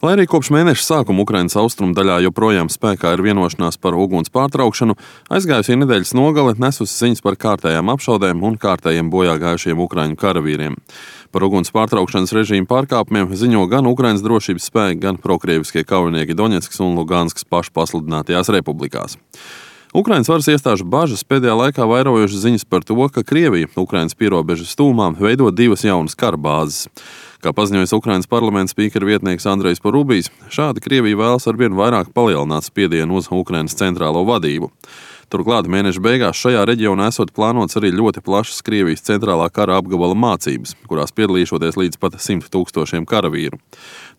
Lai arī kopš mēneša sākuma Ukrainas austrumu daļā joprojām spēkā ir vienošanās par uguns pārtraukšanu, aizgājusī nedēļas nogale nesusi ziņas par kārtējām apšaudēm un kārtējiem bojā gājušiem ukraiņu karavīriem. Par uguns pārtraukšanas režīmu pārkāpumiem ziņo gan Ukrainas drošības spēki, gan prokrieviskie kaujinieki Doņetskas un Luganskas pašpasludinātajās republikās. Ukrainas varas iestāžu bažas pēdējā laikā vairojušas ziņas par to, ka Krievija Ukrainas pierobežas tūmā veido 2 jaunas kara bāzes. Kā paziņojis Ukrainas parlamenta spīkera vietnieks Andrejs Porubijs, šādi Krievija vēlas arvien vairāk palielināt spiedienu uz Ukrainas centrālo vadību. Turklāt mēneša beigās šajā reģionā esot plānots arī ļoti plašas Krievijas centrālā kara apgabala mācības, kurās piedalīšoties līdz pat 100 000 karavīru.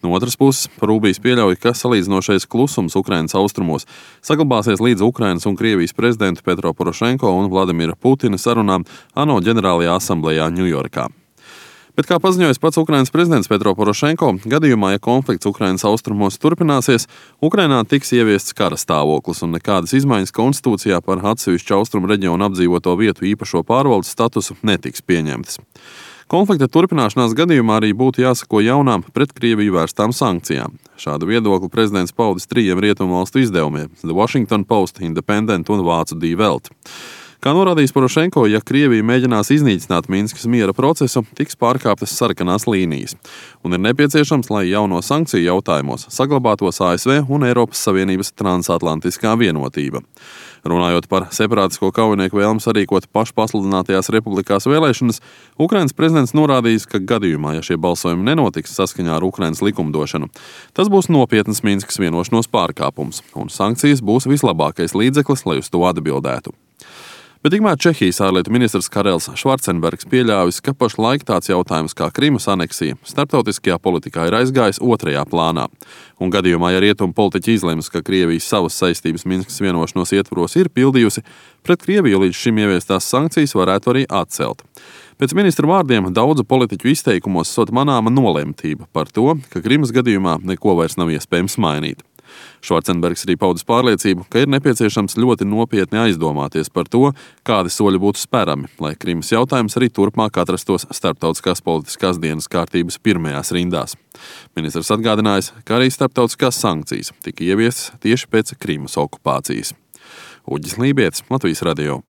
No otras puses, Porubijs pieļauj, ka salīdzinošais klusums Ukrainas austrumos saglabāsies līdz Ukrainas un Krievijas prezidentu Petro Porošenko un Vladimira Putina sarunām ANO ģenerālajā asamblejā Ņujorkā. Bet, kā paziņojis pats Ukrainas prezidents Petro Porošenko, gadījumā, ja konflikts Ukrainas austrumos turpināsies, Ukrainā tiks ieviests kara stāvoklis un nekādas izmaiņas konstitūcijā par atsevišķu austrumu reģionu apdzīvoto vietu īpašo pārvaldes statusu netiks pieņemtas. Konflikta turpināšanās gadījumā arī būtu jāsako jaunām pret Krieviju vērstām sankcijām. Šādu viedokli prezidents paudis 3 rietumvalstu izdevumiem – The Washington Post, Independent un vācu Die Welt. Kā norādījis Porošenko, ja Krievija mēģinās iznīcināt Minskas miera procesu, tiks pārkāptas sarkanās līnijas. Un ir nepieciešams, lai jauno sankciju jautājumos saglabātos ASV un Eiropas Savienības transatlantiskā vienotība. Runājot par separātisko kaujinieku vēlmi sarīkot pašpasludinātajās republikās vēlēšanas, Ukrainas prezidents norādījis, ka gadījumā, ja šie balsojumi nenotiks saskaņā ar Ukrainas likumdošanu, tas būs nopietnas Minskas vienošanos pārkāpums, un sankcijas būs vislabākais līdzeklis, lai uz to atbildētu. Bet tikmēr Čehijas ārlietu ministrs Karels Švarcenbergs pieļāvis, ka pašlaik tāds jautājums kā Krimas aneksija starptautiskajā politikā ir aizgājis 2. plānā. Un gadījumā, ja rietumu politiķi izlems, ka Krievijas savas saistības Minskas vienošanos ietvaros ir pildījusi, pret Krieviju līdz šim ieviestās sankcijas varētu arī atcelt. Pēc ministra vārdiem daudzu politiķu izteikumos sot manāma nolemtība par to, ka Krimas gadījumā neko vairs nav iespējams mainīt. Švarcenbergs arī paudis pārliecību, ka ir nepieciešams ļoti nopietni aizdomāties par to, kādi soļi būtu spērami, lai Krimas jautājums arī turpmāk atrastos starptautiskās politiskās dienas kārtības pirmajās rindās. Ministrs atgādinājis, ka arī starptautiskās sankcijas tika ieviestas tieši pēc Krimas okupācijas. Uģis Lībietis, Latvijas radio.